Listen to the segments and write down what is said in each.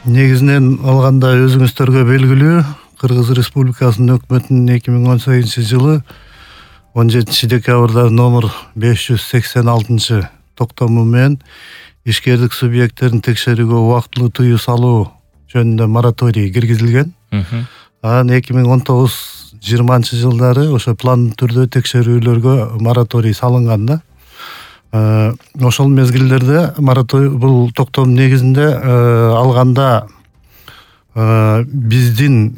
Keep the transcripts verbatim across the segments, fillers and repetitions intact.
Негизинен алганда өзүңүздөргө белгилүү, Кыргыз Республикасынын өкмөтүнүн эки миң он сегизинчи жылы он жетинчи декабрда номер беш жүз сексен алтынчы токтому менен ишкерлик субъекттерин текшерүүгө убактылуу тыюу салуу жөнүндө мораторий киргизилген. Анан эки миң он тогуз жыйырманчы жылдары ошо пландуу түрдө текшерүүлөргө мораторий салынган да. Ошол мезгилдерде мораторий бул токтом негизинде алганда биздин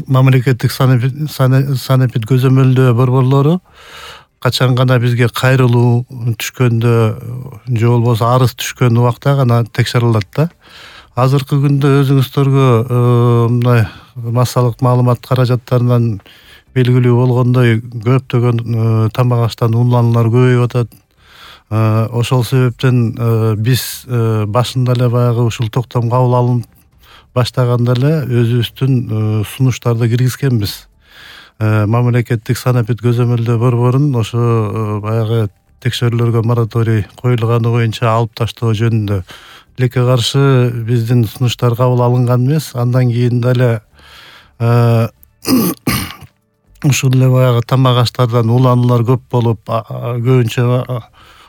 мамлекеттик санэпид көзөмөлдөө борборлору качан гана бизге кайрылуу түшкөндө же болбосо арыз түшкөн убакта гана текшерилет да. Азыркы күндө өзүңүздөргө мындай массалык маалымат каражаттарынан белгилүү болгондой көптөгөн тамак аштан улануулар көбөйүп атат. Ошол себептен биз башында эле баягы ушул токтом кабыл алынып баштаганда эле өзүбүздүн сунуштарды киргизгенбиз. Мамлекеттик санэпид көзөмөлдөө борборун ошо баягы текшерүүлөргө мораторий коюлганы боюнча алып таштоо жөнүндө. Тилекке каршы биздин сунуштар кабыл алынган эмес. Андан кийин дагы ушул эле баягы тамак аштардан улануулар көп болуп, көбүнчө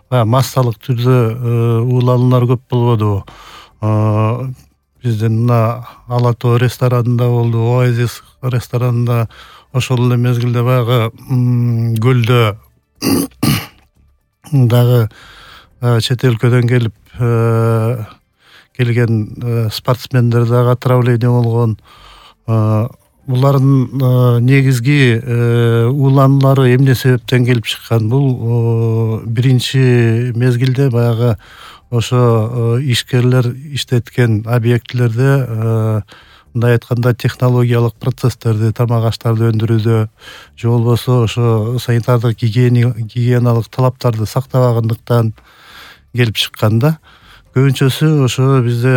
баягы массалык түрдө улануулар көп болбодубу? Биздин мына Ала Тоо ресторанында болду, Оазис ресторанында, ошол эле мезгилде баягы көлдө дагы чет өлкөдөн келип келген спортсмендер дагы отравление болгон. Булардын негизги улануулары эмне себептен келип чыккан? Бул биринчи мезгилде баягы ошо ишкерлер иштеткен объектилерде, мындай айтканда, технологиялык процесстерди, тамак аштарды өндүрүүдө же болбосо ошо санитардык гигиеналык талаптарды сактабагандыктан келип чыккан да. Көбүнчөсү ошо бизде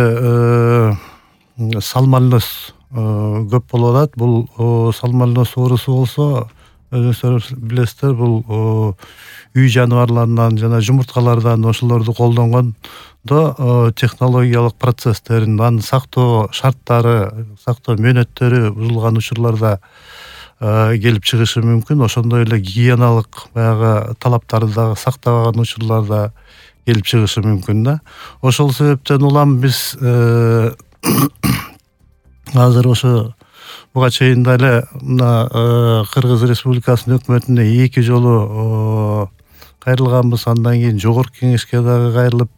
сальмонеллез көп болуп атат. Бул сальмонеллез оорусу болсо, өзүңүздөр билесиздер, бул үй жаныбарларынан жана жумурткалардан ошолорду колдонгондо технологиялык процесстерин, анын сактоо шарттары, сактоо мөөнөттөрү бузулган учурларда келип чыгышы мүмкүн. Ошондой эле гигиеналык баягы талаптарды дагы сактабаган учурларда келип чыгышы мүмкүн да. Ошол себептен улам биз азыр ошо буга чейин деле мына Кыргыз Республикасынын өкмөтүнө эки жолу кайрылганбыз. Андан кийин жогорку кеңешке дагы кайрылып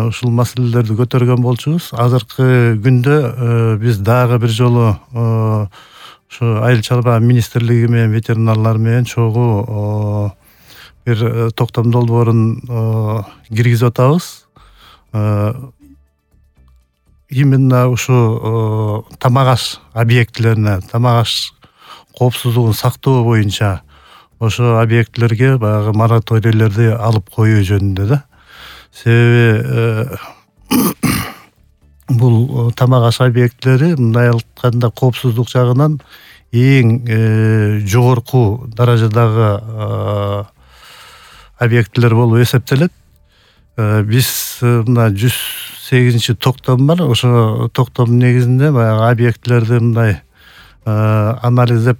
ушул маселелерди көтөргөн болчубуз. Азыркы күндө биз дагы бир жолу ушу айыл чарба министрлиги менен ветеринарлар менен чогуу бир токтом долбоорун киргизип атабыз. Именно ушу тамак аш объектилерине, тамак аш коопсуздугун сактоо боюнча ошо объектилерге баягы мораторийлерди алып коюу жөнүндө да. Себеби бул тамак аш объектилери мындай айтканда коопсуздук жагынан эң жогорку даражадагы объектилер болуп эсептелет. Биз мына жүз сегизинчи токтом бар. Ошо токтом негизинде баягы объектилерди мындай анализдеп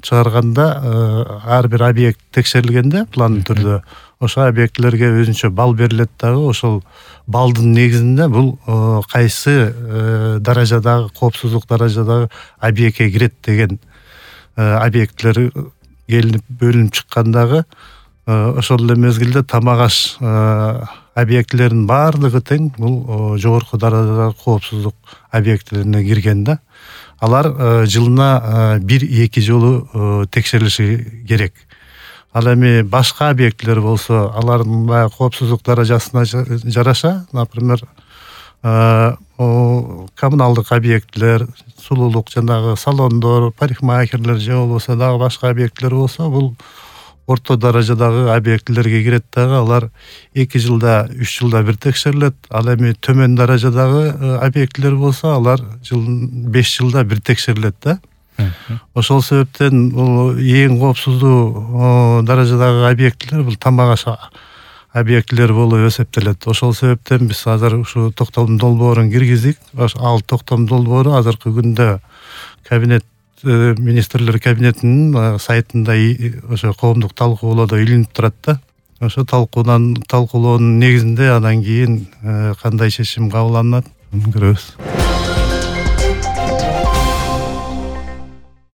чыгарганда ар бир объект текшерилгенде пландуу түрдө ошо объектилерге өзүнчө балл берилет дагы. Ошол балдын негизинде бул кайсы даражадагы, коопсуздук даражадагы объектке кирет деген объектилер келип бөлүнүп чыккандагы. Ошол эле мезгилде тамак аш объектилеринин баардыгы тең бул жогорку даражадагы коопсуздук объектилерине кирген да. Алар жылына бир-эки жолу текшерилиши керек. Ал эми башка объектилер болсо, алардын баягы коопсуздук даражасына жараша, например, коммуналдык объектилер, сулуулук, жанагы салондор, парикмахерлер же болбосо дагы башка объектилер болсо, бул орто даражадагы объектилерге кирет дагы. Алар эки жылда, үч жылда бир текшерилет. Ал эми төмөн даражадагы объектилер болсо, алар беш жылда бир текшерилет да. Ошол себептен бул эң коопсуздуу даражадагы объектилер бул тамак аш объектилер болуп эсептелет. Ошол себептен биз азыр ушу токтом долбоорун киргиздик. Ал токтом долбоору азыркы күндө кабинет министрлер кабинетинин сайтында ошо коомдук талкуулоодо илинип турат да. Ошо талкуудан талкуулоонун негизинде анан кийин кандай чечим кабыл алынат көрөбүз.